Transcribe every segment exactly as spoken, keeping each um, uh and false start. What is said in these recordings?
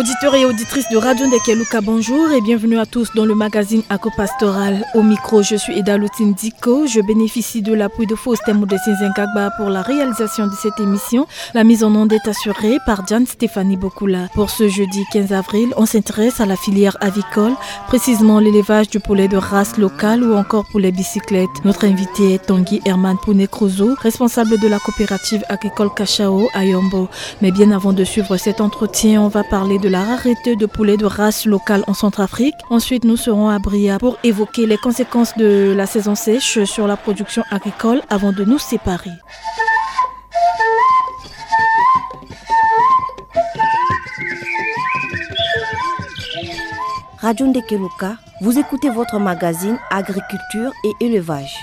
Auditeurs et auditrices de Radio Ndekeluka, bonjour et bienvenue à tous dans le magazine Aco Pastoral. Au micro, je suis Eda Lutine Diko. Je bénéficie de l'appui de Faustin Modestin Zengagba pour la réalisation de cette émission. La mise en onde est assurée par Diane Stéphanie Bokula. Pour ce jeudi quinze avril, on s'intéresse à la filière avicole, précisément l'élevage du poulet de race locale ou encore poulet bicyclette. Notre invité est Tanguy Herman Pouné-Crozo, responsable de la coopérative agricole Cachao à Yombo. Mais bien avant de suivre cet entretien, on va parler de la rareté de poulet de race locale en Centrafrique. Ensuite, nous serons à Bria pour évoquer les conséquences de la saison sèche sur la production agricole avant de nous séparer. Radio Ndekeluka, vous écoutez votre magazine Agriculture et Élevage.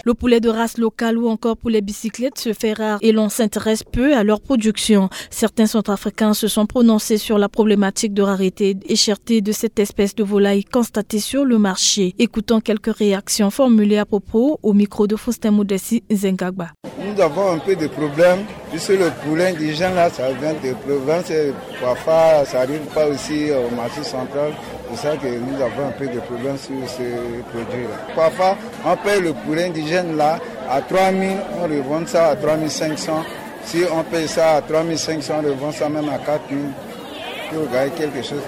Le poulet de race locale ou encore poulet bicyclette se fait rare et l'on s'intéresse peu à leur production. Certains Centrafricains se sont prononcés sur la problématique de rareté et cherté de cette espèce de volaille constatée sur le marché. Écoutons quelques réactions formulées à propos au micro de Faustin Modessi Zengagba. Nous avons un peu de problèmes. Puisque le poulet indigène, là, ça vient de province, et parfois, ça arrive pas aussi au marché central. C'est ça que nous avons un peu de problèmes sur ce produit-là. Parfois, on paye le poulet indigène, là, à trois mille, on revend ça à trois mille cinq cents. Si on paye ça à trois mille cinq cents, on revend ça même à quatre mille pour gagner quelque chose.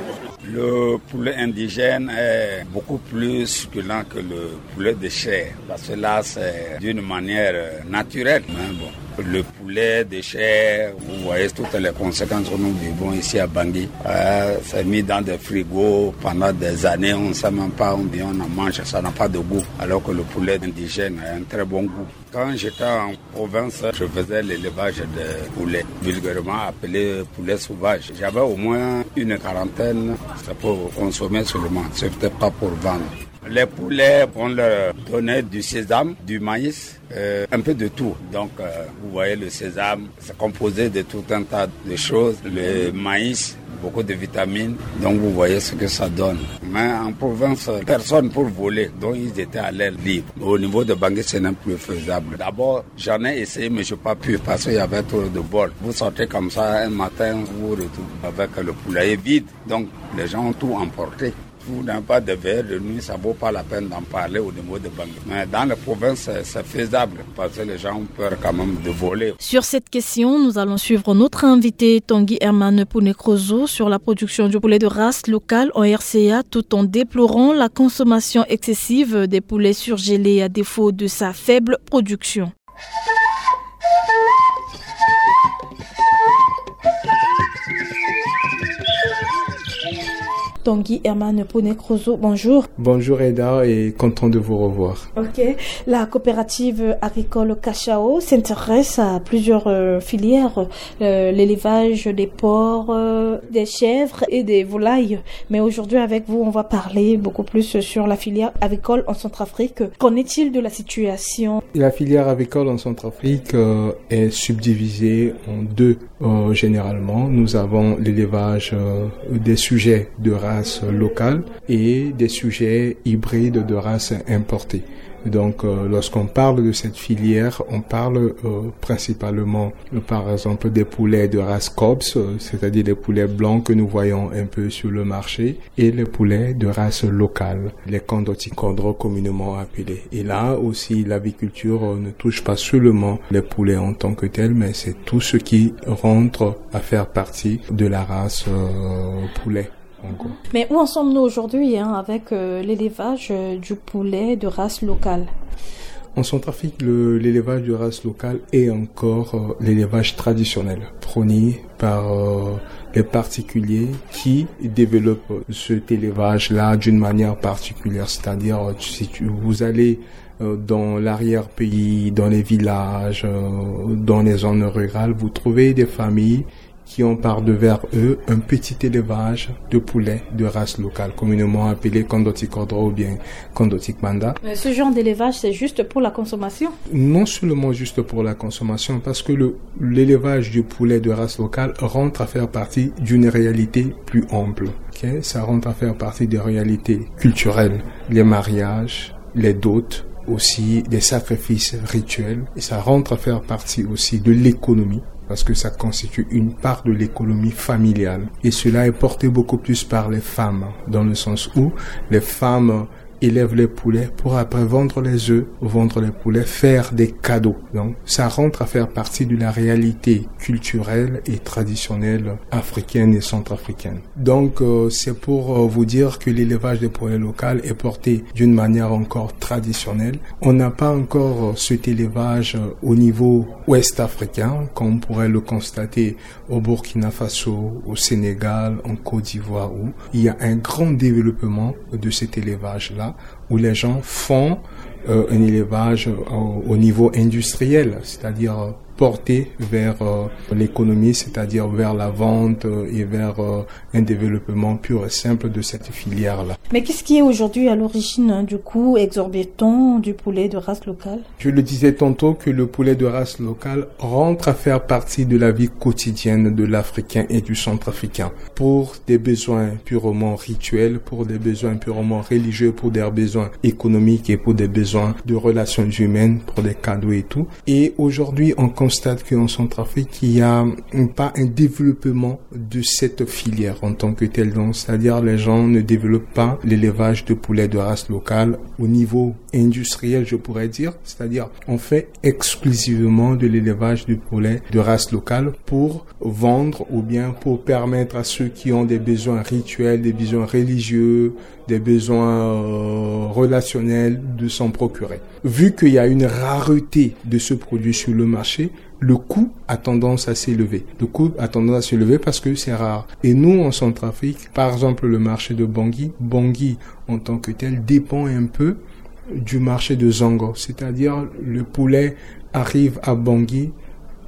Le poulet indigène est beaucoup plus succulent que le poulet de chair, parce que là, c'est d'une manière, euh, naturelle. Mais bon, le poulet de chair, vous voyez toutes les conséquences que nous vivons ici à Bangui. Euh, c'est mis dans des frigos pendant des années, on ne sait même pas, on vient, on en mange, ça n'a pas de goût, alors que le poulet indigène a un très bon goût. Quand j'étais en province, je faisais l'élevage de poulets, vulgairement appelé poulet sauvage. J'avais au moins une quarantaine, c'est pour consommer seulement, c'était pas pour vendre. Les poulets, on leur donnait du sésame, du maïs, euh, un peu de tout. Donc, euh, vous voyez, le sésame, c'est composé de tout un tas de choses. Le maïs, beaucoup de vitamines. Donc, vous voyez ce que ça donne. Mais en province, personne pour voler. Donc, ils étaient à l'air libre. Au niveau de Bangui, ce n'est plus faisable. D'abord, j'en ai essayé, mais je n'ai pas pu parce qu'il y avait trop de vol. Vous sortez comme ça un matin, vous vous retrouvez avec le poulailler vide. Donc, les gens ont tout emporté. Vous n'avez pas de veilleur de nuit, ça vaut pas la peine d'en parler au niveau de Bangui. Mais dans les provinces, c'est, c'est faisable parce que les gens ont peur quand même de voler. Sur cette question, nous allons suivre notre invité Tanguy Herman Pouné-Crozo sur la production du poulet de race locale en R C A, tout en déplorant la consommation excessive des poulets surgelés à défaut de sa faible production. Tanguy Herman Pouné-Crozo, bonjour. Bonjour Eda et content de vous revoir. Ok. La coopérative agricole Cachao s'intéresse à plusieurs, euh, filières, euh, l'élevage des porcs, euh, des chèvres et des volailles. Mais aujourd'hui, avec vous, on va parler beaucoup plus sur la filière avicole en Centrafrique. Qu'en est-il de la situation ? La filière avicole en Centrafrique, euh, est subdivisée en deux, euh, généralement. Nous avons l'élevage, euh, des sujets de race locale et des sujets hybrides de race importée. Donc, euh, lorsqu'on parle de cette filière, on parle, euh, principalement, euh, par exemple, des poulets de race Cobs, euh, c'est-à-dire des poulets blancs que nous voyons un peu sur le marché, et les poulets de race locale, les Kondoti Kodro communément appelés. Et là aussi, l'aviculture, euh, ne touche pas seulement les poulets en tant que tels, mais c'est tout ce qui rentre à faire partie de la race, euh, poulet. Mais où en sommes-nous aujourd'hui, hein, avec, euh, l'élevage, euh, du poulet de race locale ? En Centrafrique, le, l'élevage de race locale est encore, euh, l'élevage traditionnel, prôné par, euh, les particuliers qui développent cet élevage-là d'une manière particulière. C'est-à-dire, euh, si tu, vous allez, euh, dans l'arrière-pays, dans les villages, euh, dans les zones rurales, vous trouvez des familles qui ont par devers eux un petit élevage de poulets de race locale, communément appelé Kondoti Kodro ou bien Kondoti Kpanda. Mais ce genre d'élevage, c'est juste pour la consommation ? Non seulement juste pour la consommation, parce que le, l'élevage du poulet de race locale rentre à faire partie d'une réalité plus ample. Ok ? Ça rentre à faire partie des réalités culturelles, les mariages, les dots, aussi des sacrifices rituels. Et ça rentre à faire partie aussi de l'économie. parce que ça constitue une part de l'économie familiale. Et cela est porté beaucoup plus par les femmes, dans le sens où les femmes élèvent les poulets pour après vendre les œufs, vendre les poulets, faire des cadeaux. Donc, ça rentre à faire partie de la réalité culturelle et traditionnelle africaine et centrafricaine. Donc, euh, c'est pour, euh, vous dire que l'élevage des poulets local est porté d'une manière encore traditionnelle. On n'a pas encore, euh, cet élevage, euh, au niveau ouest-africain, comme on pourrait le constater au Burkina Faso, au Sénégal, en Côte d'Ivoire, où il y a un grand développement de cet élevage-là, où les gens font, euh, un élevage au, au niveau industriel, c'est-à-dire, euh, porté vers, euh, l'économie, c'est-à-dire vers la vente, euh, et vers, euh, un développement pur et simple de cette filière-là. Mais qu'est-ce qui est aujourd'hui à l'origine, hein, du coût exorbitant du poulet de race locale ? Je le disais tantôt que le poulet de race locale rentre à faire partie de la vie quotidienne de l'Africain et du Centrafricain, pour des besoins purement rituels, pour des besoins purement religieux, pour des besoins économiques et pour des besoins de relations humaines, pour des cadeaux et tout. Et aujourd'hui, on constate qu'en Centrafrique, il n'y a pas un développement de cette filière en tant que telle. Donc, c'est-à-dire, les gens ne développent pas l'élevage de poulets de race locale au niveau industriel, je pourrais dire. C'est-à-dire, on fait exclusivement de l'élevage de poulets de race locale pour vendre ou bien pour permettre à ceux qui ont des besoins rituels, des besoins religieux, des besoins, euh, relationnels de s'en procurer. Vu qu'il y a une rareté de ce produit sur le marché, le coût a tendance à s'élever. Le coût a tendance à s'élever parce que c'est rare. Et nous, en Centrafrique, par exemple, le marché de Bangui, Bangui en tant que tel dépend un peu du marché de Zongo, c'est-à-dire le poulet arrive à Bangui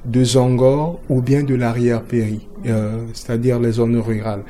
de Zongo ou bien de l'arrière-péri, euh, c'est-à-dire les zones rurales.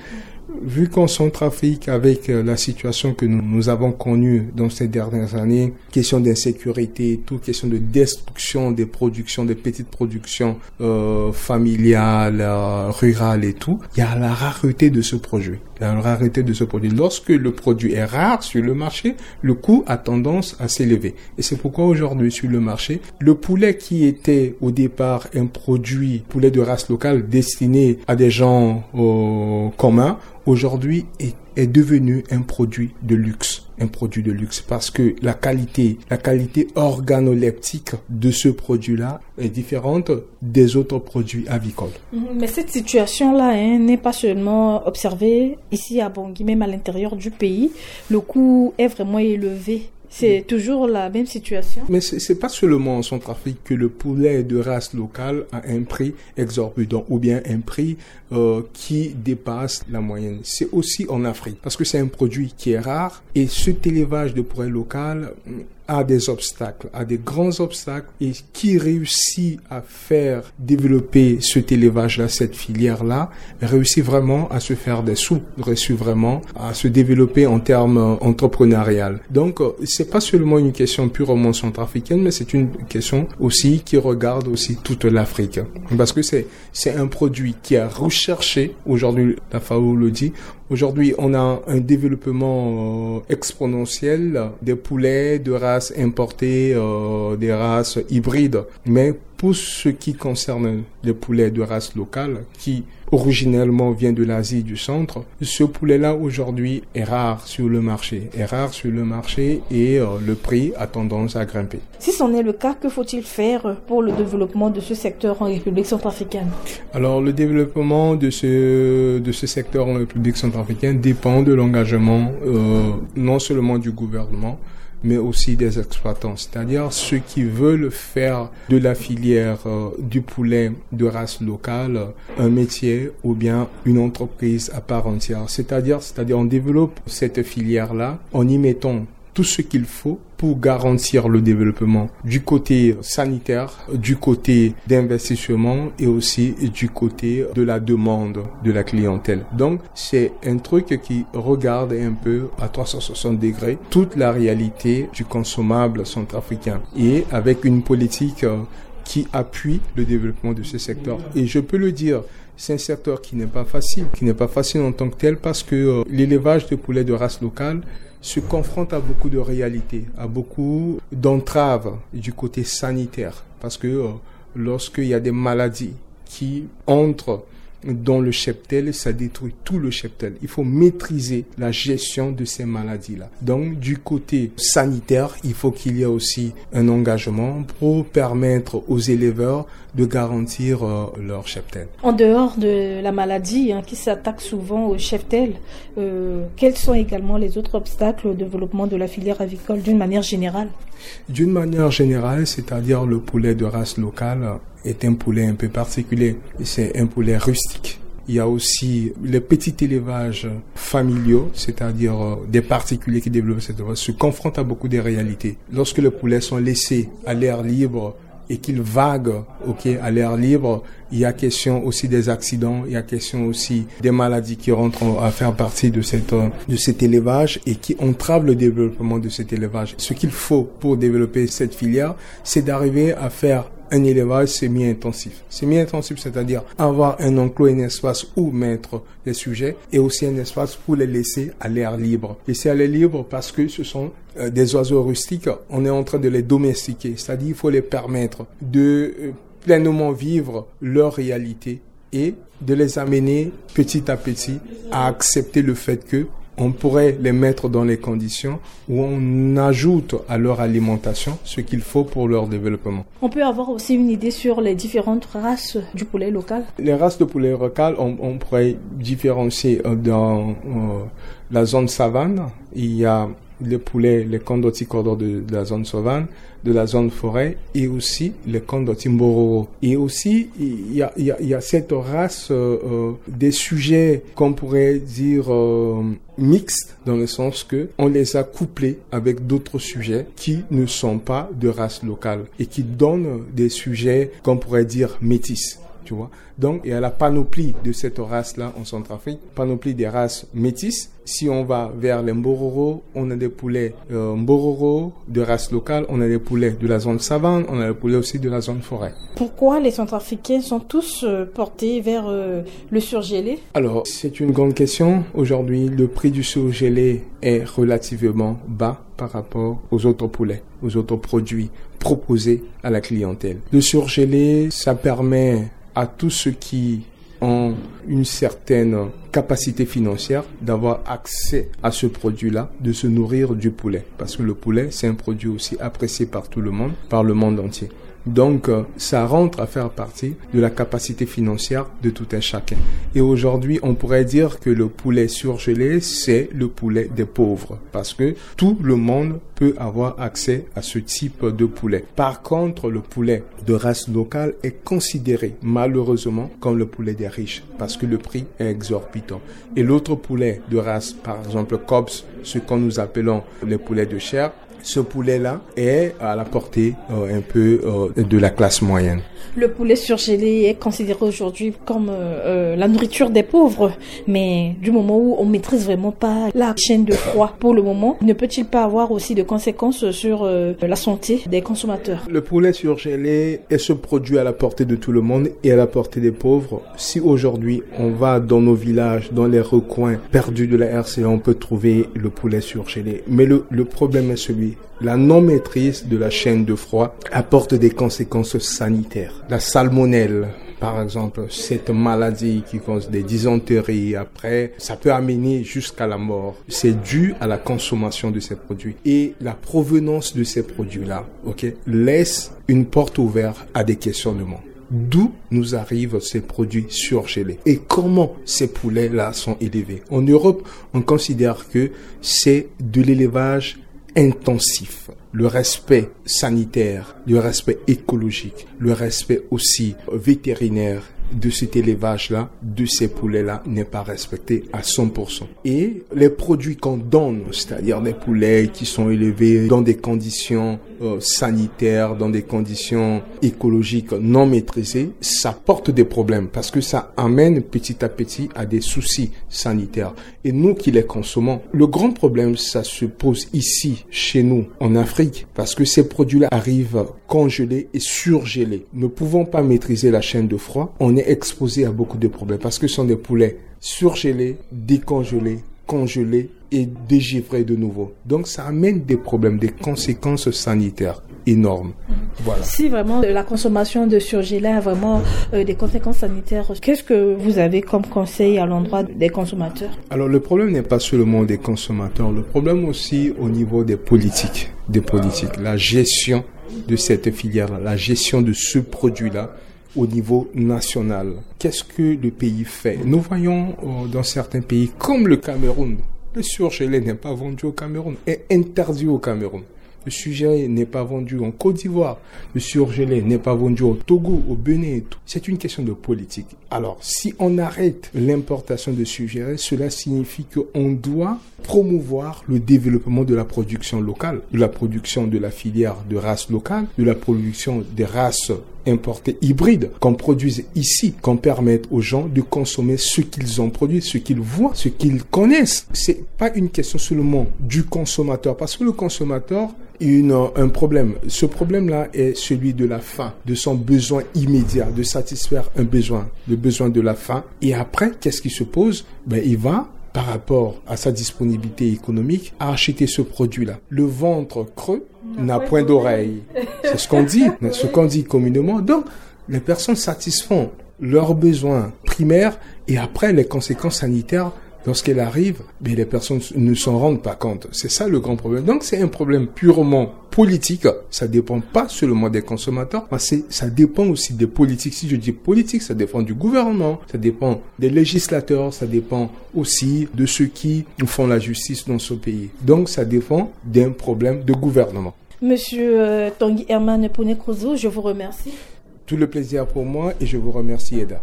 Vu qu'en Centrafrique, avec, euh, la situation que nous, nous avons connue dans ces dernières années, question d'insécurité et tout, question de destruction des productions, des petites productions, euh, familiales, euh, rurales et tout, il y a la rareté de ce produit. La rareté de ce produit. Lorsque le produit est rare sur le marché, le coût a tendance à s'élever. Et c'est pourquoi aujourd'hui sur le marché, le poulet qui était au départ un produit, poulet de race locale destiné à des gens, euh, communs, aujourd'hui est, est devenu un produit de luxe. Un produit de luxe parce que la qualité, la qualité organoleptique de ce produit-là est différente des autres produits avicoles. Mhm. Mais cette situation-là, hein, n'est pas seulement observée ici à Bangui, même à l'intérieur du pays. Le coût est vraiment élevé. C'est toujours la même situation. Mais c'est, c'est pas seulement en Centrafrique que le poulet de race locale a un prix exorbitant ou bien un prix, euh, qui dépasse la moyenne. C'est aussi en Afrique parce que c'est un produit qui est rare et cet élevage de poulets local, mm, a des obstacles, a des grands obstacles et qui réussit à faire développer cet élevage-là, cette filière-là, réussit vraiment à se faire des sous, réussit vraiment à se développer en termes, euh, entrepreneurial. Donc, euh, c'est pas seulement une question purement centrafricaine, mais c'est une question aussi qui regarde aussi toute l'Afrique. Parce que c'est, c'est un produit qui est recherché. Aujourd'hui, la FAO le dit, aujourd'hui, on a un développement, euh, exponentiel des poulets de races importées, euh, des races hybrides. Mais pour ce qui concerne les poulets de race locale, qui originellement vient de l'Asie du Centre, ce poulet-là aujourd'hui est rare sur le marché, est rare sur le marché et, euh, le prix a tendance à grimper. Si c'en est le cas, que faut-il faire pour le développement de ce secteur en République centrafricaine ? Alors, le développement de ce, de ce secteur en République centrafricaine dépend de l'engagement, euh, non seulement du gouvernement, mais aussi des exploitants, c'est-à-dire ceux qui veulent faire de la filière, euh, du poulet de race locale, euh, un métier ou bien une entreprise à part entière, c'est-à-dire, c'est-à-dire on développe cette filière-là en y mettant tout ce qu'il faut pour garantir le développement du côté sanitaire, du côté d'investissement et aussi du côté de la demande de la clientèle. Donc, c'est un truc qui regarde un peu à trois cent soixante degrés toute la réalité du consommable centrafricain et avec une politique, euh, qui appuie le développement de ce secteur. Et je peux le dire, c'est un secteur qui n'est pas facile, qui n'est pas facile en tant que tel parce que, euh, l'élevage de poulets de race locale se confronte à beaucoup de réalités, à beaucoup d'entraves du côté sanitaire. Parce que, euh, lorsqu'il y a des maladies qui entre dans le cheptel, ça détruit tout le cheptel. Il faut maîtriser la gestion de ces maladies-là. Donc, du côté sanitaire, il faut qu'il y ait aussi un engagement pour permettre aux éleveurs de garantir euh, leur cheptel. En dehors de la maladie, hein, qui s'attaque souvent au cheptel, euh, quels sont également les autres obstacles au développement de la filière avicole d'une manière générale ? D'une manière générale, c'est-à-dire le poulet de race locale est un poulet un peu particulier. C'est un poulet rustique. Il y a aussi les petits élevages familiaux, c'est-à-dire euh, des particuliers qui développent cette élevage, se confrontent à beaucoup de réalités. Lorsque les poulets sont laissés à l'air libre et qu'ils vaguent, ok, à l'air libre, il y a question aussi des accidents, il y a question aussi des maladies qui rentrent à faire partie de, cette, euh, de cet élevage et qui entravent le développement de cet élevage. Ce qu'il faut pour développer cette filière, c'est d'arriver à faire un élevage semi-intensif. Semi-intensif, c'est-à-dire avoir un enclos, un espace où mettre les sujets et aussi un espace pour les laisser à l'air libre. Laisser à l'air libre parce que ce sont euh, des oiseaux rustiques. On est en train de les domestiquer, c'est-à-dire il faut les permettre de euh, pleinement vivre leur réalité et de les amener petit à petit à accepter le fait que on pourrait les mettre dans les conditions où on ajoute à leur alimentation ce qu'il faut pour leur développement. On peut avoir aussi une idée sur les différentes races du poulet local ? Les races de poulet local, on, on pourrait différencier euh, dans euh, la zone savane. Il y a les poulets, les kondoti kodro de, de la zone savane, de la zone forêt et aussi les kondoti mbororo. Et aussi, il y a, il y a, il y a cette race euh, euh, des sujets qu'on pourrait dire euh, mixtes dans le sens que on les a couplés avec d'autres sujets qui ne sont pas de race locale et qui donnent des sujets qu'on pourrait dire métis, tu vois. Donc, il y a la panoplie de cette race-là en Centrafrique, panoplie des races métisses. Si on va vers les mbororo, on a des poulets euh, mbororo de race locale, on a des poulets de la zone savane, on a des poulets aussi de la zone forêt. Pourquoi les Centrafricains sont tous euh, portés vers euh, le surgelé ? Alors, c'est une grande question. Aujourd'hui, le prix du surgelé est relativement bas par rapport aux autres poulets, aux autres produits proposés à la clientèle. Le surgelé, ça permet à tous ceux qui ont une certaine capacité financière d'avoir accès à ce produit-là, de se nourrir du poulet. Parce que le poulet, c'est un produit aussi apprécié par tout le monde, par le monde entier. Donc, euh, ça rentre à faire partie de la capacité financière de tout un chacun. Et aujourd'hui, on pourrait dire que le poulet surgelé, c'est le poulet des pauvres. Parce que tout le monde peut avoir accès à ce type de poulet. Par contre, le poulet de race locale est considéré malheureusement comme le poulet des riches parce que le prix est exorbitant. Et l'autre poulet de race, par exemple Cops, ce que nous appelons les poulets de chair, ce poulet-là est à la portée euh, un peu euh, de la classe moyenne. Le poulet surgelé est considéré aujourd'hui comme euh, euh, la nourriture des pauvres, mais du moment où on maîtrise vraiment pas la chaîne de froid pour le moment, ne peut-il pas avoir aussi de conséquences sur euh, la santé des consommateurs ? Le poulet surgelé est ce produit à la portée de tout le monde et à la portée des pauvres. Si aujourd'hui on va dans nos villages, dans les recoins perdus de la R C A, on peut trouver le poulet surgelé. Mais le, le problème est celui, la non-maîtrise de la chaîne de froid apporte des conséquences sanitaires. La salmonelle, par exemple, cette maladie qui cause des dysenteries, après, ça peut amener jusqu'à la mort. C'est dû à la consommation de ces produits. Et la provenance de ces produits-là, ok, laisse une porte ouverte à des questionnements. D'où nous arrivent ces produits surgelés et comment ces poulets-là sont élevés. En Europe, on considère que c'est de l'élevage intensif. Le respect sanitaire, le respect écologique, le respect aussi vétérinaire de cet élevage-là, de ces poulets-là, n'est pas respecté à cent pour cent. Et les produits qu'on donne, c'est-à-dire des poulets qui sont élevés dans des conditions euh, sanitaires, dans des conditions écologiques non maîtrisées, ça porte des problèmes parce que ça amène petit à petit à des soucis sanitaires. Et nous qui les consommons, le grand problème, ça se pose ici, chez nous, en Afrique, parce que ces produits-là arrivent congelés et surgelés. Ne pouvant pas maîtriser la chaîne de froid, on est exposé à beaucoup de problèmes parce que ce sont des poulets surgelés, décongelés, congelés et dégivrés de nouveau. Donc ça amène des problèmes, des conséquences sanitaires. énorme. Voilà. Si vraiment, euh, la consommation de surgelés a vraiment, euh, des conséquences sanitaires, qu'est-ce que vous avez comme conseil à l'endroit des consommateurs ? Alors, le problème n'est pas seulement des consommateurs, le problème aussi au niveau des politiques, des politiques, la gestion de cette filière-là, la gestion de ce produit-là au niveau national. Qu'est-ce que le pays fait ? Nous voyons, euh, dans certains pays, comme le Cameroun, le surgelé n'est pas vendu au Cameroun, est interdit au Cameroun. Le surgelé n'est pas vendu en Côte d'Ivoire, le surgelé n'est pas vendu au Togo, au Bénin et tout. C'est une question de politique. Alors, si on arrête l'importation de surgelés, cela signifie qu'on doit promouvoir le développement de la production locale, de la production de la filière de races locales, de la production des races importées hybrides qu'on produise ici, qu'on permette aux gens de consommer ce qu'ils ont produit, ce qu'ils voient, ce qu'ils connaissent. C'est pas une question seulement du consommateur, parce que le consommateur a une, un problème. Ce problème-là est celui de la faim, de son besoin immédiat, de satisfaire un besoin, le besoin de la faim. Et après, qu'est-ce qui se pose ? Ben, il va, par rapport à sa disponibilité économique, acheter ce produit-là. Le ventre creux n'a point d'oreille. C'est ce qu'on dit, ce qu'on dit communément. Donc, les personnes satisfont leurs besoins primaires et après, les conséquences sanitaires, lorsqu'elles arrivent, mais les personnes ne s'en rendent pas compte. C'est ça le grand problème. Donc, c'est un problème purement politique. Ça dépend pas seulement des consommateurs, mais c'est, ça dépend aussi des politiques. Si je dis politique, ça dépend du gouvernement, ça dépend des législateurs, ça dépend aussi de ceux qui font la justice dans ce pays. Donc, ça dépend d'un problème de gouvernement. Monsieur, euh, Tanguy Herman Pouné-Crouzot, je vous remercie. Tout le plaisir pour moi et je vous remercie, Eda.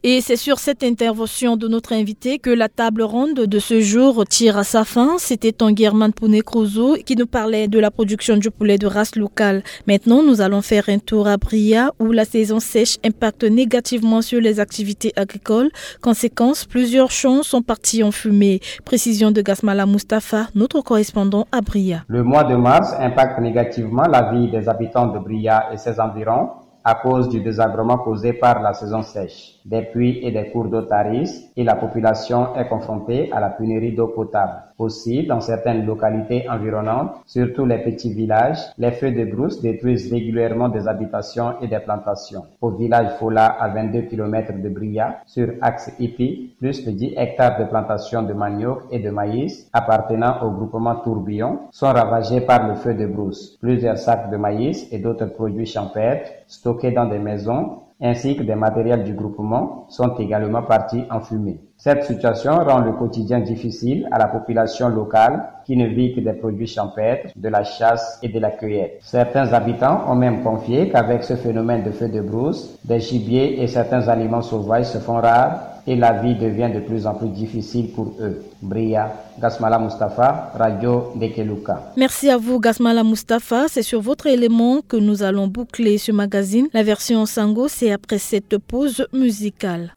Et c'est sur cette intervention de notre invité que la table ronde de ce jour tire à sa fin. C'était Tanguy Herman Pouné-Crouzot qui nous parlait de la production du poulet de race locale. Maintenant, nous allons faire un tour à Bria, où la saison sèche impacte négativement sur les activités agricoles. Conséquence, plusieurs champs sont partis en fumée. Précision de Gasmala Mustapha, notre correspondant à Bria. Le mois de mars impacte négativement la vie des habitants de Bria et ses environs à cause du désagrément causé par la saison sèche. Des puits et des cours d'eau tarissent et la population est confrontée à la pénurie d'eau potable. Aussi, dans certaines localités environnantes, surtout les petits villages, les feux de brousse détruisent régulièrement des habitations et des plantations. Au village Fola, à vingt-deux kilomètres de Bria, sur axe hippique, plus de dix hectares de plantations de manioc et de maïs appartenant au groupement Tourbillon sont ravagés par le feu de brousse. Plusieurs sacs de maïs et d'autres produits champêtres stockés dans des maisons ainsi que des matériels du groupement sont également partis en fumée. Cette situation rend le quotidien difficile à la population locale qui ne vit que des produits champêtres, de la chasse et de la cueillette. Certains habitants ont même confié qu'avec ce phénomène de feu de brousse, des gibiers et certains aliments sauvages se font rares et la vie devient de plus en plus difficile pour eux. Bria, Gasmala Mustapha, Radio Dekeluka. Merci à vous, Gasmala Mustapha. C'est sur votre élément que nous allons boucler ce magazine. La version Sango, c'est après cette pause musicale.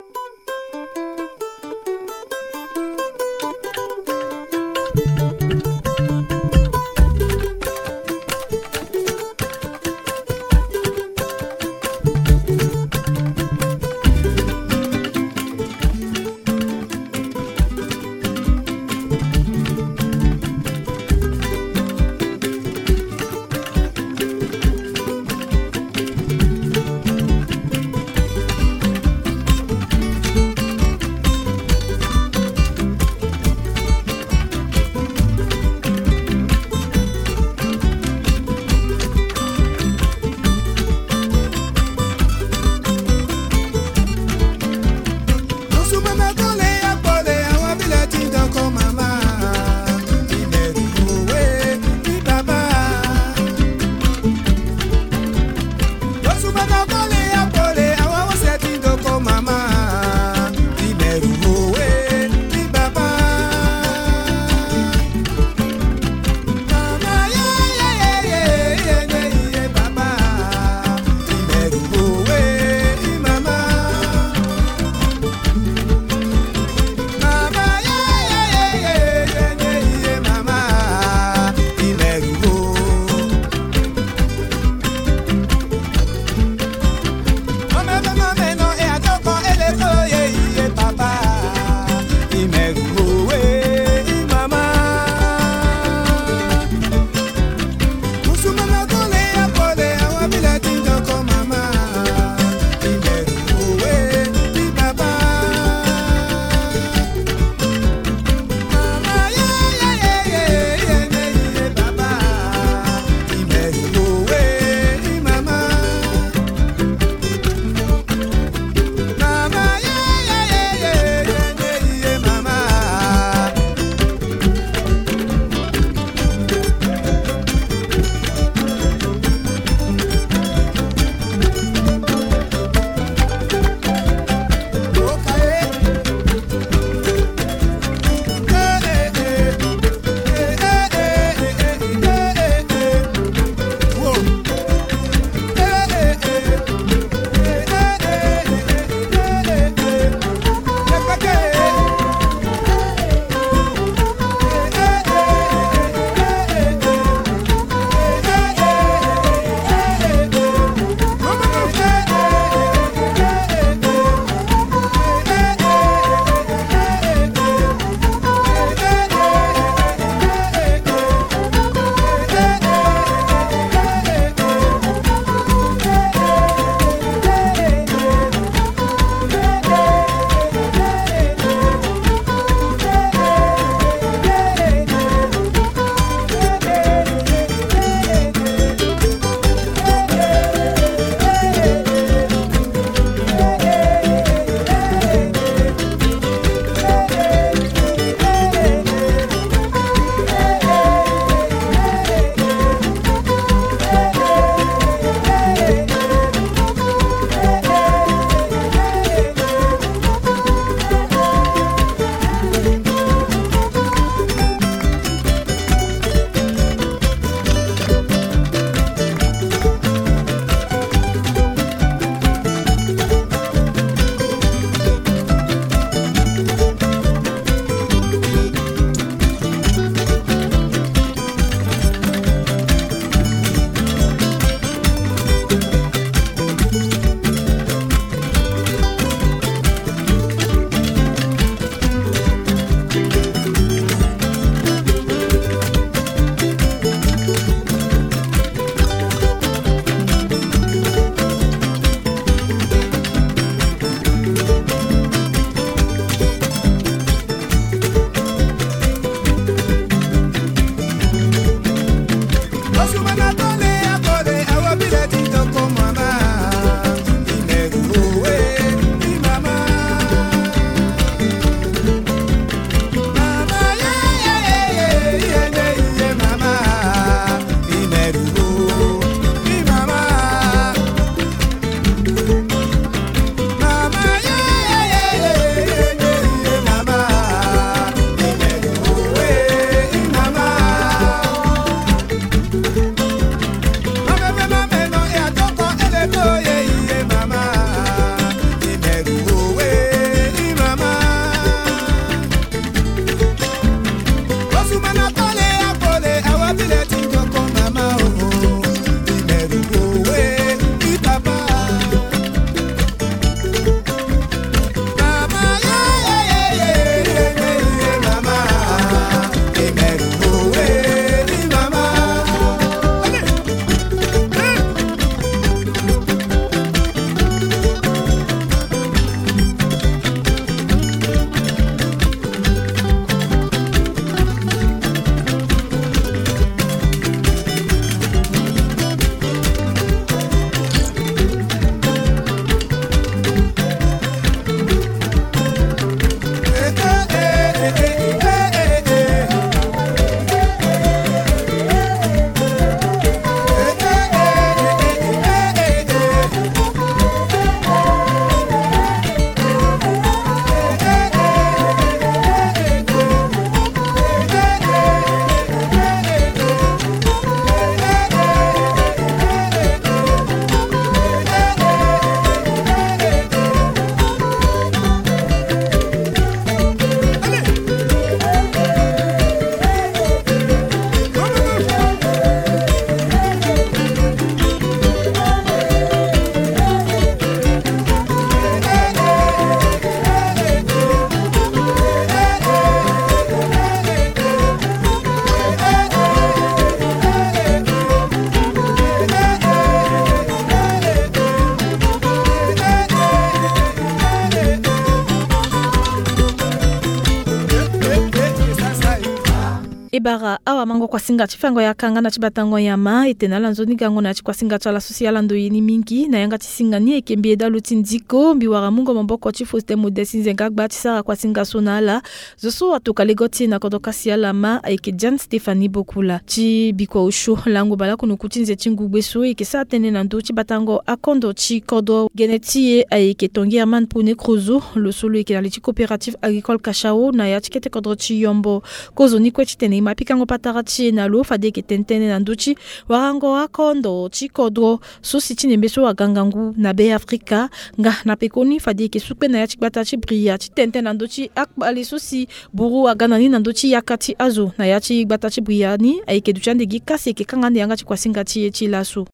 Awa mango kuasinga ti fango ya kanga na ti batango nyama e tene ala nzoni gango na ya ti kuasinga ti ala so si ala ndoye ni mingi na yanga ti singa ni ayeke mbi eda lo ti ndiko mbi wara mungo maboko ti Faustin Modeste Nzenga Agba ti sara kuasinga so na ala. Zo so atoka lego ti e na kodro kasi ala ma ayeke Jeanne Stéphanie Bokula ti bikua osio lango baleoko na oku ti nze ti ngugbe so e yeke sara tënë na ndö ti batango akondo ti kodro. Gene ti e ayeke Tanguy Herman Pone Crozo, lo so lo yeke na li ti coopérative agricole Cachao na ya ti kete kodro ti Yombo. Kozoni kue titene e ma pikango patara ti e na lo fade e yeke tene tënë na ndö ti warango akondo ti kodro so si ti nembe so aga ngangu na Be Afrika. Nga na pekoni fade e yeke su kpe na ya ti gbata ti Bria ti tene tënë na ndö ti akpale so si buru aga na ni na ndö ti yaka ti azo na ya ti gbata ti Bria ni ayeke duti ande gi kasi e yeke kanga ande yanga ti kuasinga ti e ti laso.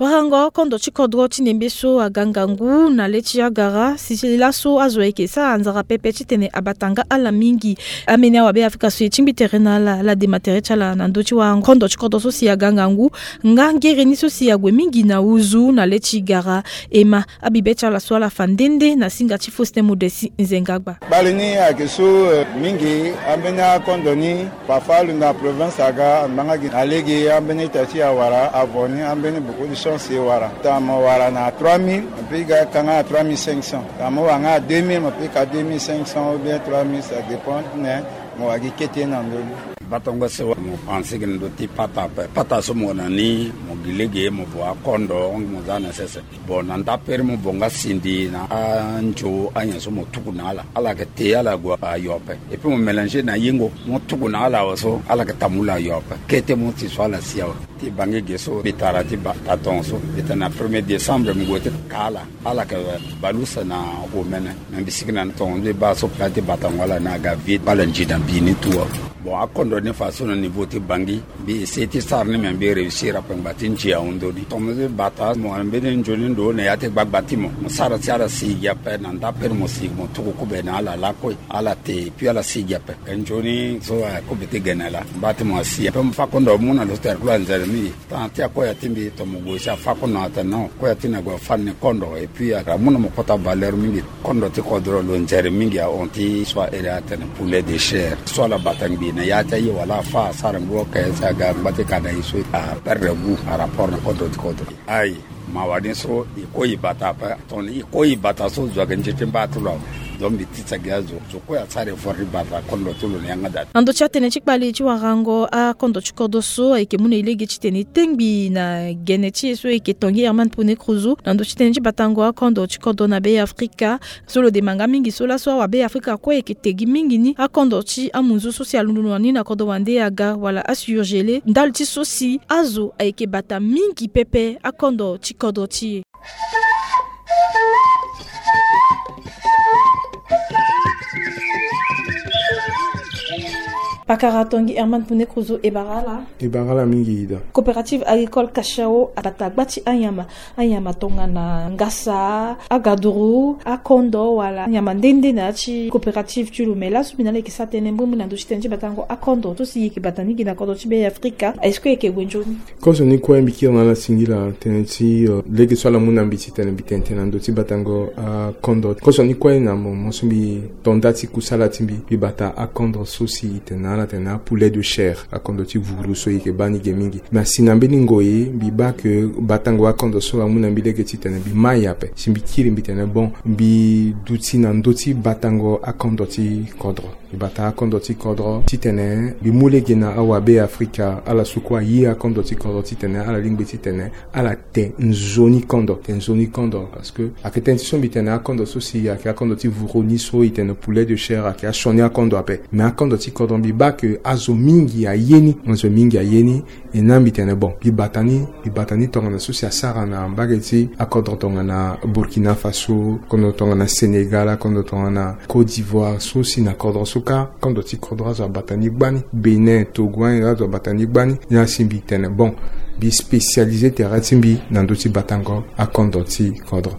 Warango kondo ti kodro ti nembe so aga ngangu na le ti agara si laso azo ayeke sara nzara pepe titene abata nga ala mingi. Ambeni awabe Afrika so e tingbi tere na ala, ala dema tere ti ala na ndö ti warango kondo ti kodro so si aga ngangu. Nga ngere ni so si ague mingi na uzu na le ti gara. E ma abibe ti ala so ala fa nde nde na singa ti Faustin Modeste Nzenga Agba. Kpale ni ayeke so, eh, mingi ambeni akondo ni. Parfois alo na province aga angbanga gi na lege ambeni ita ti e awara, avant ni ambeni beaucoup de chance e wara. Ita mo wara na trois mille, mo peut ga ka nga na trois mille cinq cents. Ita mo wara nga na deux mille, mo peut ka deux mille cinq cents ou bien trois mille, ça dépend, mais mo wara gi kete na ndö ni. Batango so mo pense gi na ndö ti pata ape. Pata so mo na ni, mo gi lege, mo vo akondo, mo za na sese. Bon, na ndapere mo vo nga sindi na anzo, anyen so mo tuku na ala. Ala yeke te ala gue ayo ape. Et puis mo mélanger na yingo, mo tuku na ala awe so, ala yeke tambula ayo ape. Kete mo ti so ala si awe. Ti bangi ge so mbi tara ti ba, ta tongaso. Mbi tene na premier décembre mo gue ti ka ala. Ala yeke bale use na omene. Me mbi sigi na tongaso mbi baa so pla ti batango ala ni aga vide. Ala nzi na mbi ni tout awe. Bon, akondo ni faso na niveau ti bangi. Mbi essayer ti sara ni, me mbi réussir ape ngba ti nzi ahon ndoni. Tongaso mbi bata mo na mbeni nzoni ndo na ya ti gbagba ti mo. Mo sara si ala sigi ape na ndapere mo sigi mo tuku kube na ala lakue. Ala te, et puis ala sigi ape. E nzoni so, eh, akube ti gene laa. Mba ti mo asi ape mo fâ kondo amu na lo so tere kue anzere mingi. Tanga ti akoya ti mbi tongana mo gue si afâ kondo atene non. Koya ti ni ague afâ ni kondo. Et puis amu na mo kota valeur mingi. Kondo ti kodro lo nzere mingi ahon ti so ahere atene poulet de chair. So ala bata ngbii na ya ti aye wala afâ asara ngu oke si aga ngba ti ka na e so aperdre goût par rapport na kondo ti kodro. Ayi. Mawa ni so e kue e bata ape. Tongana e kue e bata so zo ayeke nze ti mba ti lo awe. Donc mbi tisa gi azo, zo kue asara effort ti bata kondo ti lo na yanga daa. Na ndö ti atene ti kpale ti warango akondo ti kodro so ayeke mu na e lege titene e tengbi na gene ti e so ayeke Tanguy Herman Pone Crozo na ndö ti tënë ti batango akondo ti kodro na Be Afrika. So lo dema nga mingi so laso awabe Afrika kue ayeke te gi mingi ni akondo ti amunzu so si alondo na ni na kodro wande aga wala asurgele ndali ti so si azo ayeke bata mingi pepe akondo ti kodro ti e. Pakara Tanguy Herman Pone Crozo, e bara ala. E bara ala mingi Ida. Coopérative agricole Cachao abata gba ti anyama. Anyama tongana ngasa, agaduru, akondo wala anyama nde nde na ya ti coopérative ti lo. Me laso mbi na ala yeke sara tënë mbrimbri na ndö ti tënë ti batango akondo so si e yeke bata mingi na kodro ti Be Afrika. Est-ce que e yeke gue nzoni? Kozoni kue mbi kiri na ala singila tënë ti, eh, lege so ala mu na mbi titene mbi tene tënë na ndö ti batango akondo. Kozoni kue na mo, mo so mbi to nda ti kusala ti mbi, mbi bata akondo so si e tene na ala tene apoulet de chair, akondo ti vuru so e yeke baa ni ge mingi. Me asi na mbeni ngoi mbi baa ke batango akondo so amu na mbi lege titene mbi mai ape. Si mbi kiri mbi tene bon, mbi duti na ndö ti batango akondo ti kodro. Mbi bata akondo ti kodro titene mbi mu lege na awabe Afrika ala so kue aye akondo ti kodro titene ala lingbi titene ala te nzoni kondo, te nzoni kondo. Parce que ayeke tënë ti so mbi tene akondo so si ayeke akondo ti vuru ni so e tene poulet de chair ayeke asioni akondo ape. Me akondo ti kodro mbi baa ke azo mingi aye ni, azo mingi aye ni. E na mbi tene bon, mbi bata ni, mbi bata ni tongana so si asara na mbage ti akodro tongana Burkina Faso, kondo tongana Sénégal, kondo tongana Côte d'Ivoire, so si na kodro so kâ, kondo ti kodro azo abata ni gbani, Bénin, Togo, azo abata ni gbani. Ni asi mbi tene bon, mbi spécialisé tere ti mbi na ndö ti batango akondo ti kodro.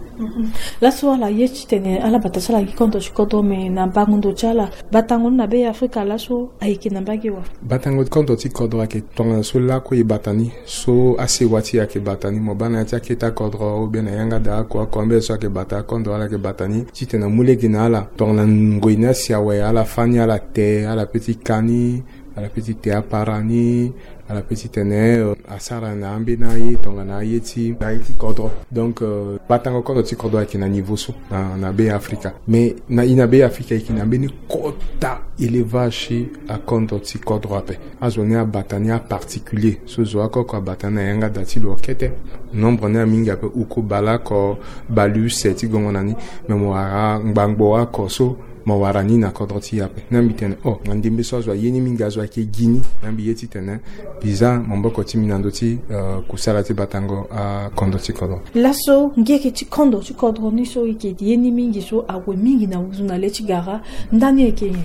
Laso ala ye titene ala bata so ala gi kondo ti kodro, me na bango ndo ti ala, batango ni na be ya Afrika laso ayeke na mbage wa? Batango kondo ti kodro ayeke tongana so lakue e bata ni, so asewa ti e ayeke bata ni, mo baa na ya ti akete akodro ou bien na yanga da oko oko ambeni so ayeke bata akondo, ala yeke bata ni titene amu lege na ala tongana ngoi ni asi awe, ala fâ ni, ala te, ala pe ti ka ni, ala pe ti te apara ni, ala pe ti tene, euh, asara na ambeni aye tongana aye ti, na aye ti kodro. Donc, euh, batango kondo ti kodro ayeke na niveau so na, na be ya Afrika. Mais na, e na be ya Afrika e yeke na mbeni kota élevage ti akondo ti kodro ape. Azo ni abata ni aparticulier, so zo oko oko abata ni na yanga da ti lo kete. Nombre ni amingi ape, uku baleoko baleuse ti gongo na ni. Me mo wara ngbangbo oko so mo wara ni na kodro ti e ape. Na mbi tene, oh, na ndembe so azo aye ni mingi, azo ayeke gi ni. Na mbi ye titene mbi zia maboko ti mbi na ndö ti, euh, kusala ti batango akondo ti kodro. Laso ngere ti kondo ti kodro ni so e yeke ye ni mingi so ague mingi na wuzu na le ti gara, ndani ayeke nyen?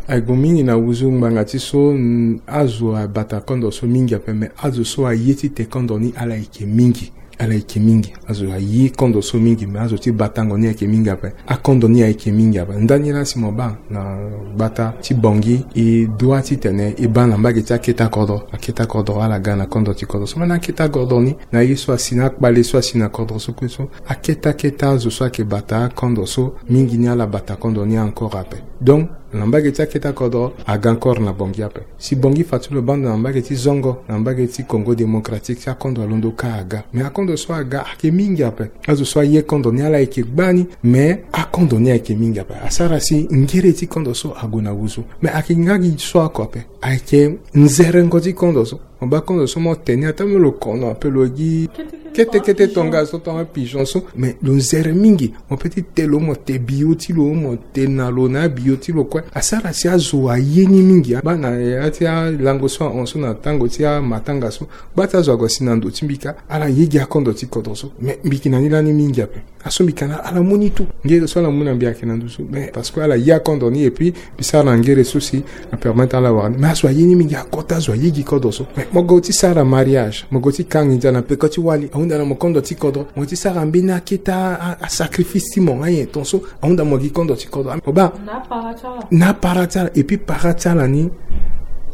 Ague mingi na wuzu ngbanga ti so, mm, azo abata kondo so mingi ape, me azo so aye ti te kondo ni ala yeke mingi. Ala yeke mingi. Azo aye kondo so mingi, me azo ti batango ni ayeke mingi ape. Akondo ni ayeke mingi ape. Ndani laa si mo baa na gbata ti Bangui, e dua titene e baa na mbage ti akete akodro. Akete akodro ala ga na kondo ti kodro so. Me na akete akodro ni, na ye so asi na akpale so asi na kodro so kue so, akete akete azo so ayeke bata akondo so, mingi ni ala bata kondo ni encore ape. Donc, na mbage ti akete akodro aga encore na Bangui ape. Si Bangui fa ti lo baa ndo na mbage ti zongo, na mbage ti Congo Démocratique, si akondo alondo kâ aga. Me akondo so aga ayeke mingi ape. Azo so aye kondo ni ala yeke gbani, me akondo ni ayeke mingi ape. Asara si ngere ti kondo so ague na wuzu. Me ayeke nga gi so oko ape. Ayeke nzerengo ti kondo so. Mo baa kondo so mo te ni, ata me lo kono ape lo gi kete kete tongaso, tonga pigeon so, me lo nzere mingi. Mo pe ti te lo, mo te bio ti lo, mo te na lo na abio ti lo kue. Asara si azo aye ni mingi. Baa na ya ti alango so ahon so na tango ti amatanga so, baa ti azo ague asi na ndo ti mbi kâ, ala ye gi akondo ti kodro so. Me mbi yeke na ni lani mingi ape. Aso mbi yeke na ala mu ni tout. Ngere so ala mu na mbi ayeke na ndo so. Mais parce que ala ye akondo ni, et puis mbi sara na ngere so si apermettre ala wara ni. Mais azo aye ni mingi, akota azo aye gi kodo so. Mais mo go ti sara mariage, mo go ti ka nginza na peko ti wali, ahunda na mo kondo ti kodro. Mo ti sara mbeni akete a, a, asacrifice ti mo nga nyen ton so, ahunda mo gi kondo ti kodro. Mo baa na apara ti ala. Et puis para ti ala ni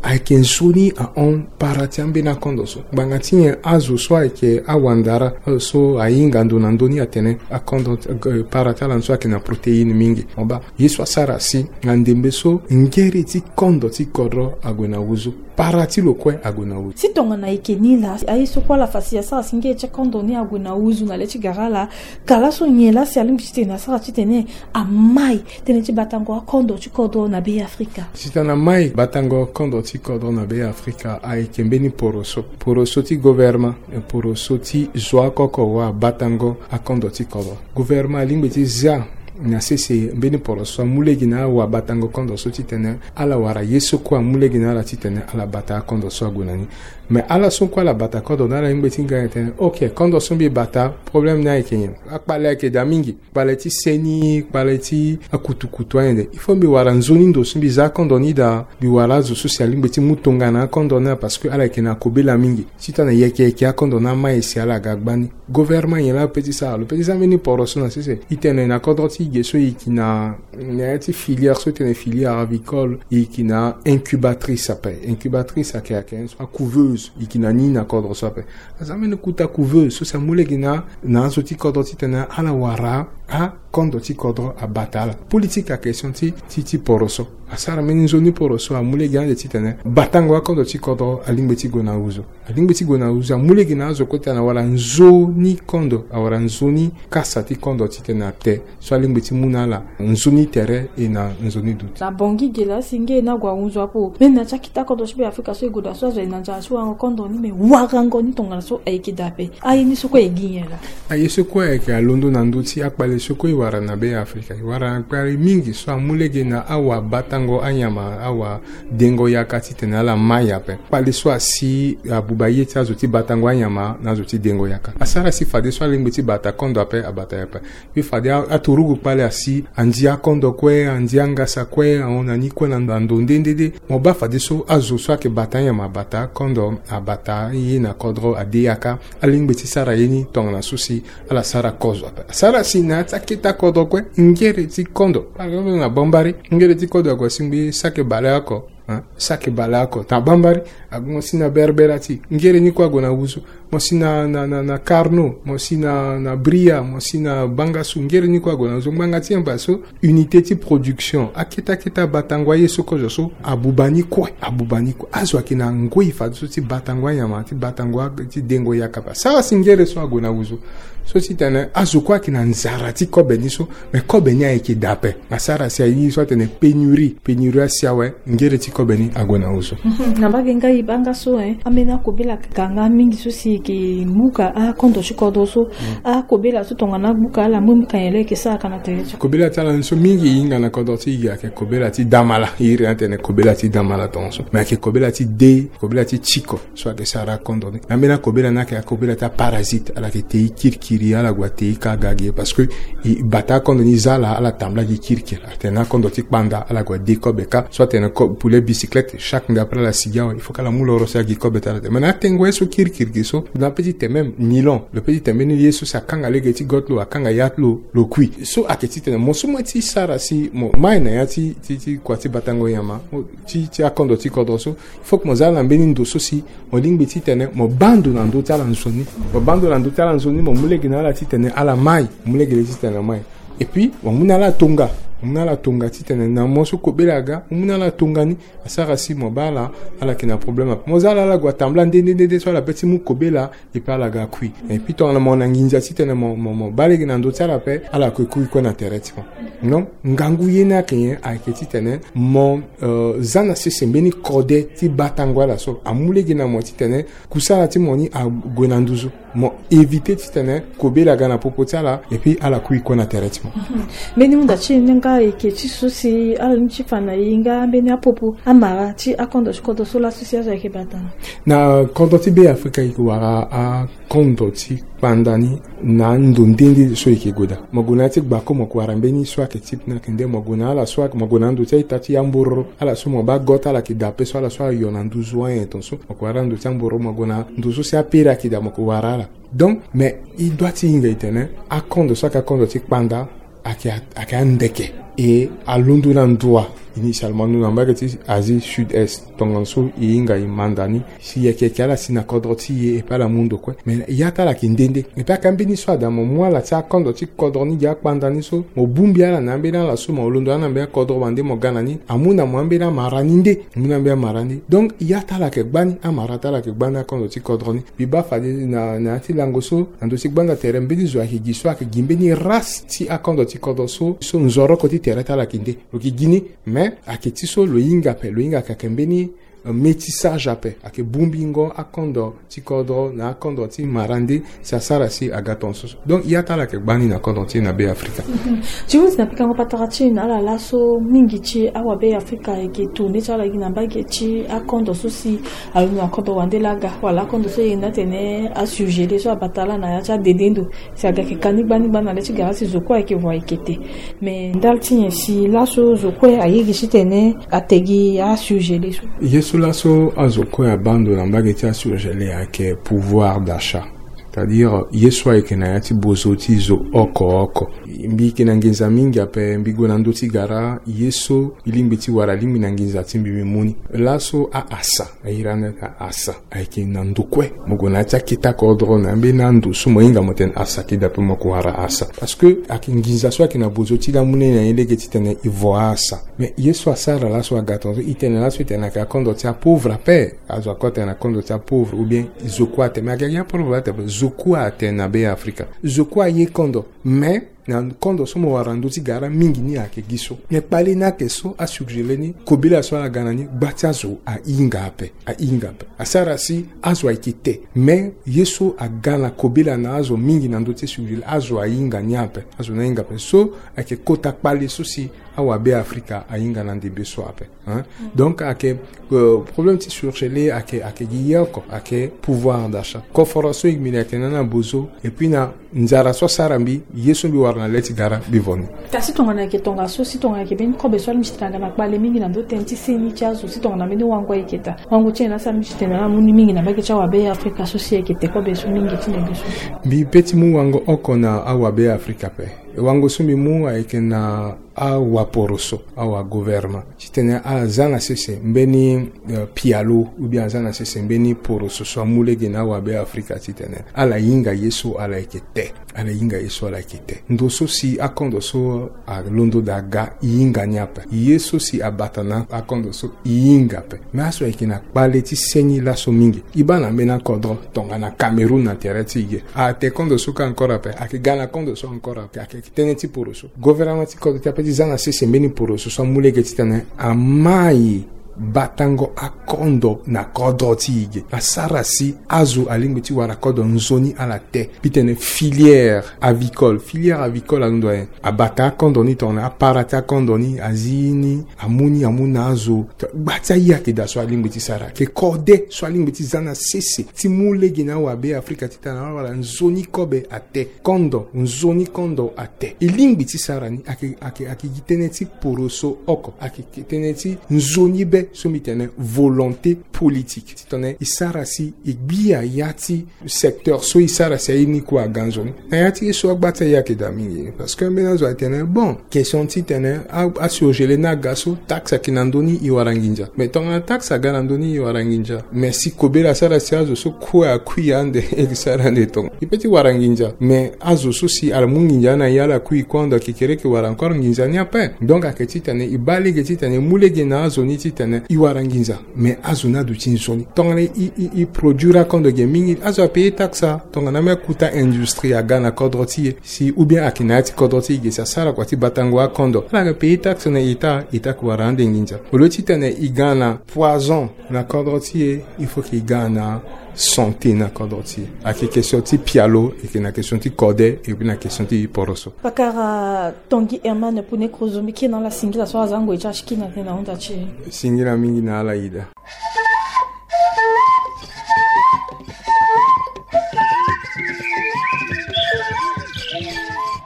ayeke nzoni ahon para ti ambeni akondo so. Ngbanga ti nyen azo so ayeke awandara, azo so ahinga ndo na ndö ni atene akondo, eh, para ti ala ni so ayeke na protéine mingi. Mo baa, ye so asara si na ndembe so ngere ti kondo ti kodro ague na wuzu, para ti lo kue ague na wuzu. Si tongana e yeke ni laa, aye so kue ala fa si asara si ngere ti akondo ni ague na wuzu na le ti gara laa, ka laso nyen laa si alingbi titene asara titene amai tënë ti batango akondo ti kodro na Be Afrika? Titene amai batango kondo ti kodro na Be Afrika ayeke mbeni poroso. Poroso ti gouvernement, eh, poroso ti zo akoko wa batango akondo ti kodro. Gouvernement alingbi ti zia na sese mbeni poroso amu lege na awa batango kondo so titene ala wara ye so kue amu lege na ala titene ala bata akondo so ague na ni. Mais ala so kue ala bata kondo na ala lingbi ti nga tene, ok, kondo so mbi bata, problème ni ayeke nyen? Akpale ayeke daa mingi. Kpale ti seni, kpale ti akutukutu ayen de. Il faut mbi wara nzoni ndo so mbi za akondo ni daa, mbi wara azo so si alingbi ti mu tongana akondo ni, parce que ala yeke na kobela mingi. Titene yeke yeke akondo ni amai si ala ga gbani. Gouvernement nyen laa lo pe ti sara? Lo pe ti za mbeni poroso na sese. E tene na kodro ti e ge so e yeke na, na ya ti filière so e tene filière avicole, e yeke na incubatrice ape. Incubatrice ayeke, ayeke so acouveuse, e yeke na ni na kodro so ape. Aza mbeni kota couveuse so si amu lege na, na azo ti kodro titene ala wara akondo ti kodro abata ala. Politique à question ti, ti, ti poroso. Asara mbeni nzoni poroso amu lege ande titene batango akondo ti kodro alingbi ti gue na wuzu. Alingbi ti gue na wuzu, amu lege na azo kue titene awara nzoni kondo, awara nzoni kasa ti kondo titene ate. So alingbi ti mu na ala nzoni tere e na nzoni duti. Na Bangui ge laa si nge e na gue ahunzu apo. Me na ti akete akondo ti Be Afrika so e gue daa so azo aye na nzara ti warango kondo ni, me warango ni tongana so ayeke daa ape. Aye ni so kue e gi nyen laa? Aye so kue ayeke alondo na ndö ti akpale so kue e wara na Be Afrika. E wara na kpale mingi so amu lege na awa bata Ngo anyama awa dengo yaka titene ala mai ape. Kpale so asi abuba ye ti azo ti batango anyama na azo ti dengo yaka. Asara si fadeso alingbi ti bata kondo ape, abata ye ape. Mbi fade a, aturugu kpale asi, andia kondo kue, andia ngasa kue, ahon na ni kue na ndo, na ndo nde nde nde. Mo baa fadeso azo so ayeke bata anyama abata kondo, abata ye na kodro, ade yaka. Alingbi ti sara ye ni tongana so si ala sara kozo ape. Asara si na ya ti akete akodro kue, ngere ti kondo. Par exemple, na Bambari, ngere ti kondo ague asingbi saki bale oko. Hein? Saki bale oko. Na Bambari, ague mo si na Berbera ti. Ngere ni kue ague na wuzu. Mo si na, na, na, na Carnot, mo si na, na Bria, mo si na Bangassou, ngere ni kue ague na wuzu. Ngbanga ti nyen? Parce que unité ti production, akete akete abatango aye so kozo so, abuba ni kue, abuba ni kue. Azo ayeke na ngoi fadeso ti batango anyama, ti batango a, ti dengo yaka ape. Asara si ngere so ague na wuzu. So titene azo kue ayeke na nzara ti kobe ni so, me kobe ni ayeke daa ape. Asara si aye ni so atene pénurie, pénurie asi awe, ngere ti kobe ni ague na wuzu. Mhm. Na mbage ngai banga so, hein, ambeni akobela ka nga mingi so si e yeke muka akondo ti kodro so. Mm. Akobela so tongana agbuka ala mu muka nyen laa e yeke sara ka na tere ti. Kobela ti ala ni so mingi e hinga na kodro ti e ayeke kobela ti damala. E iri atene kobela ti damala tongaso. Me ayeke kobela ti de, kobela ti tiko. So ayeke sara akondo ni. Na ambeni akobela ni ayeke akobela ti aparasite. Ala yeke te e kirikiri, ala gue ate e ka aga gi e parce que e bata akondo ni, za ala, ala tambula gi kirikiri. Atene akondo ti kpanda, ala gue ade kobe ka. So atene ko-, poulet bicyclette, chaque nda après ala sigi awe, il faut que ala mu loro si agi kobe ti ala te. Mais na atengo ye so kirikiri gi so, na petit te même nylon. Lo petit te mbeni ye so si akanga lege ti gote lo, akanga ya ti lo, lo kui. So ayeke titene mo so mo ye ti sara si mo mai na ya ti, ti, ti kua ti batango nyama, mo, ti, ti akondo ti kodro so, il faut que mo za na mbeni ndo so si mo lingbi titene mo baa ndo na ndö ti ala nzoni. Mo baa ndo na ndö ti ala nzoni, mo mu lege na ala titene ala mai, mo mu lege titene mai. Et puis mo mu na ala tonga, mo mu na ala tonga titene na mo so kobela aga, mo mu na ala tonga ni. Asara si mo baa ala, ala yeke na problème ape. Mo za ala, ala gue atambula nde nde nde nde so ala pe ti mu kobela, et puis ala ga kui. Et puis tongana mo na nginza titene mo, mo, mo baa lege na ndö ti ala ape, ala kue kui kue na tere ti mo. Non, ngangu ye ni ayeke nyen? Ayeke titene mo, euh, za na sese mbeni kode ti batango ala so amu lege na mo titene kusala ti mo ni ague na nduzu. Mo éviter titene kobela aga na popo ti ala, et puis ala kui kue na tere ti mo. Mhm. Mbeni hunda ti e ni nga ayeke ti so si ala ni ti fa na e nga mbeni apopo amara ti akondo ti kodro so laso si azo ayeke bata na kodro ti Be Afrika, e yeke wara a kondo ti kpanda ni na ando nde nde so e yeke gue daa. Mo gue na ya ti gbako, mo yeke wara mbeni so ayeke ti pena ayeke nde, mo gue na ala so ayeke, mo gue na ando ti a-ita ti ambororo, ala so mo baa gote ala yeke daa ape so, ala so ayo na nduzu anyen tongaso, mo yeke wara ando ti ambororo, mo gue na ndo so si apere ayeke daa, mo yeke wara ala. Donc, mais e doit ti hinga e tene akondo so ayeke akondo ti kpanda, ayeke, ayeke andeke. E alondo na ndo wa, initialement, ndo na mbage ti Asie Sud-Est. Tongana so e hinga e manda ni, si e yeke yeke ala si na kodro ti e, e pe ala mu ndo kue. Mais ya ti ala ayeke nde nde. E pe ayeke ambeni so ada mo mu ala ti akondo ti kodro ni gi akpanda ni so, mo bongbi ala na ambeni ala so, mo londo ala na mbeni akodro wande mo ga na ni, amu na mo ambeni amara ni nde. Amu na ambeni amara ni nde. Donc ya ti ala ayeke gbani, amara ti ala ayeke gbani akondo ti kodro ni. Mbi baa fade na, na ya ti lango so, na ndö ti gbanda tere, mbeni zo ayeke gi so, ayeke gi mbeni race ti akondo ti kodro so, so nzoroko ti tere ti ala ayeke nde. Lo yeke gi ni, mais ayeke ti so lo hinga ape, lo hinga ayeke, ayeke mbeni, euh, métissage ape, ayeke bongbingo akondo ti kodro na akondo ti mara nde, si asara si aga tongaso. Donc ya ti ala ayeke gbani na kodro ti e na Be Afrika. Mhm. Ti hundi na pikango patara ti e na ala laso, mingi ti awa Be Afrika ayeke tourner ti ala gi na mbage ti akondo so si alondo na kodro wande laa aga, wala akondo so e yenda atene asurgelé so abata laa na ya ti adede ndo. Si aga yeke ka ni gbani gbani na le ti gara si zo kue ayeke voie ayeke te. Mais ndali ti nyen si laso zo kue aye gi titene ate gi asurgelé so? Ye so laso azo kue abaa ndo na mbage ti asurgelé ayeke pouvoir d'achat. C'est-à-dire ye so ayeke na ya ti bozo ti zo oko oko. Mbi yeke na nginza mingi ape, mbi gue na ndö ti gara, ye so mbi lingbi ti wara, alingbi na nginza ti mbi mbi mu ni. Laso a-asa, a iri ande asa, ayeke na ndo kue. Mo gue na ya ti akete akodro na ambeni ando so mo hinga mo tene asa ayeke daa ape, mo yeke wara asa. Parce que ayeke nginza so ayeke na bozo ti laa amu ni na ye lege titene e vo a-asa. Mais ye so asara laso aga tongaso, e tene laso e tene ayeke akondo ti apauvre ape. Azo akue atene akondo ti apauvre, ou bien zo kue atene. Mais ayeke gi apauvre ate ape, zo kue atene na Be Afrika. Zo kue aye kondo. Mais Na kondo so mo wara na ndö ti gara mingi ni ayeke gi so. Me kpale ni ayeke so asurgele ni, kobela so ala ga na ni, gba ti azo ahinga ape, ahinga ape. Asara si azo ayeke te. Me ye so aga na kobela na azo mingi na ndö ti surgele, azo ahinga ni ape, azo ni ahinga ape. So ayeke kota kpale so si awabe Afrika ahinga na ndembe so ape, hein. Donc ayeke, euh, problème ti surgele ayeke, ayeke gi ye oko, ayeke pouvoir d'achat. Koforo so e mbi na yeke na ni na bozo, et puis na nzara so asara mbi, ye so mbi wara na le ti gara mbi vo ni. Kasi tongana ayeke tongaso, si tongana ayeke mbeni kobe so alingbi ti tene aga na kpale mingi na ndö tënë ti seni ti azo, si tongana mbeni wango ayeke daa, wango ti tene asara mbi ti tene ala mu ni mingi na mbage ti awabe Afrika so si ayeke te kobe so mingi ti ndembe so. Mbi pe ti mu wango oko na awabe Afrika ape. E wango so mbi mu ayeke na awaporoso, awagouvernement, titene ala za na sese mbeni, euh, pialo, ou bien aza na sese mbeni poroso so amu lege na awabe Afrika titene ala hinga ye so ala yeke te. Ala hinga ye so ala yeke te. Ndo so si akondo so alondo daa aga, e hinga ni ape. Ye so si abata na akondo so, e hinga ape. Me azo ayeke na kpale ti seni laso mingi. E baa na mbeni akodro, tongana Cameroun na tere ti e ge, ate kondo so kâ encore ape, ayeke ga na kondo so encore ape, ayeke tënë ti poroso. Gouvernement ti kodro ti ape ti za na sese mbeni poroso so amu lege titene amai batango akondo na kodro ti e ge. Asara si azo alingbi ti wara kodro nzoni ala te. Mbi tene filière avicole. Filière avicole alondo ayen. Abata akondo ni tongana apara ti akondo ni, azi ni, amu ni, amu na azo. Gba ti aye ayeke daa so alingbi ti sara. Ayeke kode so alingbi ti za na sese ti mu lege na awabe Afrika titene ala wara nzoni kobe ate. Kondo, nzoni kondo ate. E lingbi ti sara ni, ayeke, ayeke, ayeke gi tënë ti poroso oko. Ayeke tënë ti nzoni be so mbi tene volonté politique. Titene e sara si e gbia ya ti secteur so e sara si aye ni kue aga nzoni. Na ya ti ye so agba ti aye ayeke daa mingi. Parce que ambeni azo atene, bon, question titene a, asurgele ni aga so, taxe ayeke na ndö ni, e wara nginza. Mais tongana taxe aga na ndö ni, e wara nginza. Mais si kobela asara si azo so kue akui ande, e sara ande tonga. E pe ti wara nginza. Mais azo so si ala mu nginza na e ala kui kue ande, ayeke kereke wara encore nginza ni ape. Donc ayeke titene e baa lege titene e mu lege na azo ni titene e wara nginza. Mais azo ni aduti nzoni. Tongana e, e, e produire akondo ge mingi, azo apaye taxe. Tongana ambeni akuta industrie aga na kodro ti e, si ou bien ayeke na ya ti kodro ti e ge, si asara kua ti batango akondo, ala yeke paye taxe na État, État ayeke wara ande nginza. Au lieu titene e ga na poison na kodro ti e, il faut que e ga na santé na kodro ti e. Ayeke question ti pialo, ayeke na question ti kode, et puis na question ti poroso. Pakara Tanguy Herman Pune Krozo, mbi kiri na ala singila so aza ngoi ti ala ti kiri na tënë na hunda ti e. Singila mingi na ala ida.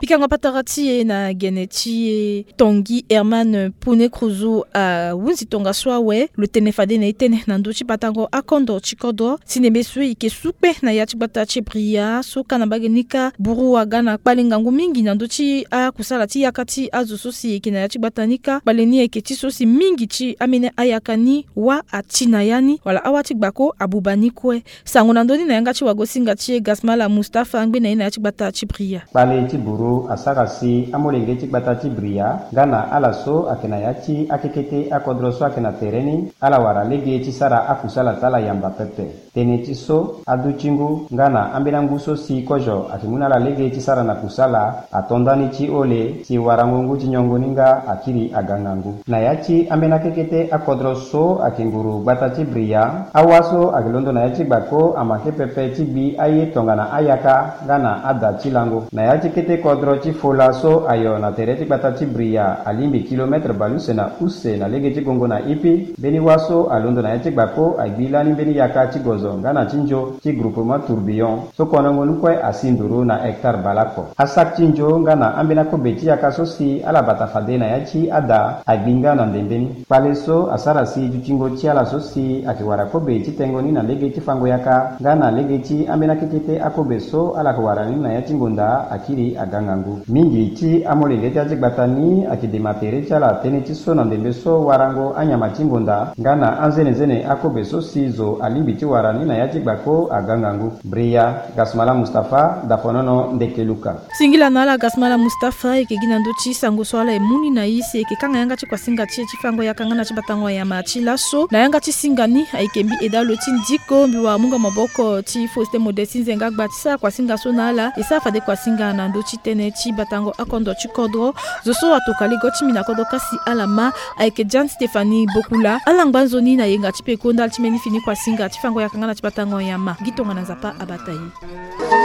Pikango patara ti e na gene ti e, Tanguy Herman Pune Krozo ahunzi tongaso awe, lo tene fade na e tënë na ndö ti batango akondo ti kodro, si ndembe so e yeke su kpe na ya ti gbata ti Bria, so kâ na mbage ni kâ, buru aga na kpale ngangu mingi na ndö ti akusala ti yaka ti azo so si e yeke na ya ti gbata ni kâ. Kpale ni ayeke ti so si mingi ti ambeni ayaka ni wâ ati na ya ni, wala awâ ti gbako abuba ni kue. Sango na ndö ni na yanga ti wagosinga ti e Gasmala Mustapha, angbe na e na ya ti gbata ti Bria. Kpale ti buru asara si amolenge ti gbata ti Bria nga na ala so ayeke na ya ti akekete akodro so ayeke na tere ni, ala wara lege ti sara akusala ti ala yamba pepe. Tënë ti so, adutingu nga na ambeni angu so si kozo ayeke mu na ala lege ti sara na kusala ato ndani ti ole, si warango ngu ti nyongo ni nga akiri aga ngangu. Na ya ti ambeni akekete akodro so ayeke nguru gbata ti Bria, awâ so ayeke londo na ya ti gbako amanke pepe ti gbi aye tongana ayaka nga na ada ti lango. Na ya ti kete kodro ti Fola so ayo na tere ti gbata ti Bria, alingbi kilometre bale use na use na lege ti gongo na Ipi, mbeni wâ so alondo na ya ti gbako agbi lani mbeni yaka ti gozo nga na ti nzo ti groupement Tourbillon, so konongo ni kue asi nduru na hectare bale oko. Asac ti nzo nga na ambeni akobe ti yaka so si ala bata fade na ya ti ada agbi nga na ndembe ni. Kpale so asara si dutingo ti ala so si ayeke wara kobe ti tengo ni na lege ti fango yaka nga na lege ti ambeni akekete akobe so ala yeke wara ni na ya ti ngonda akiri aga ngangu. Mingi ti amolenge ti ya ti gbata ni ayeke dema tere ti ala tënë ti so na ndembe so warango anyama ti ngonda nga na anzenenzene akobe so si zo alingbi ti wara ni na ya ti gbako aga ngangu. Bria, Gasmala Mustapha, Dafonono, Ndeke Luka. Singila na ala Gasmala Mustapha, e yeke gi na ndö ti sango so ala e mu ni na e si e yeke kanga yanga ti kuasinga ti e ti fango yaka nga na ti batango anyama ti laso. Na yanga ti singa ni ayeke mbi Eda Lo ti Ndiko, mbi wara mungo maboko ti Faustin Modeste Nzenga Gba ti sara kuasinga so na ala. E sara fade kuasinga na ndö ti tënë. ti batango akondo ti kodro. Zo so atokua lege ti mbi na kodro kasi ala ma ayeke Jeanne Stéphanie Bokula, ala ngba nzoni na yenga ti peko ndali ti mbeni fini kuasinga ti fango yaka nga na ti batango nyama. Gi tongana Nzapa abata e.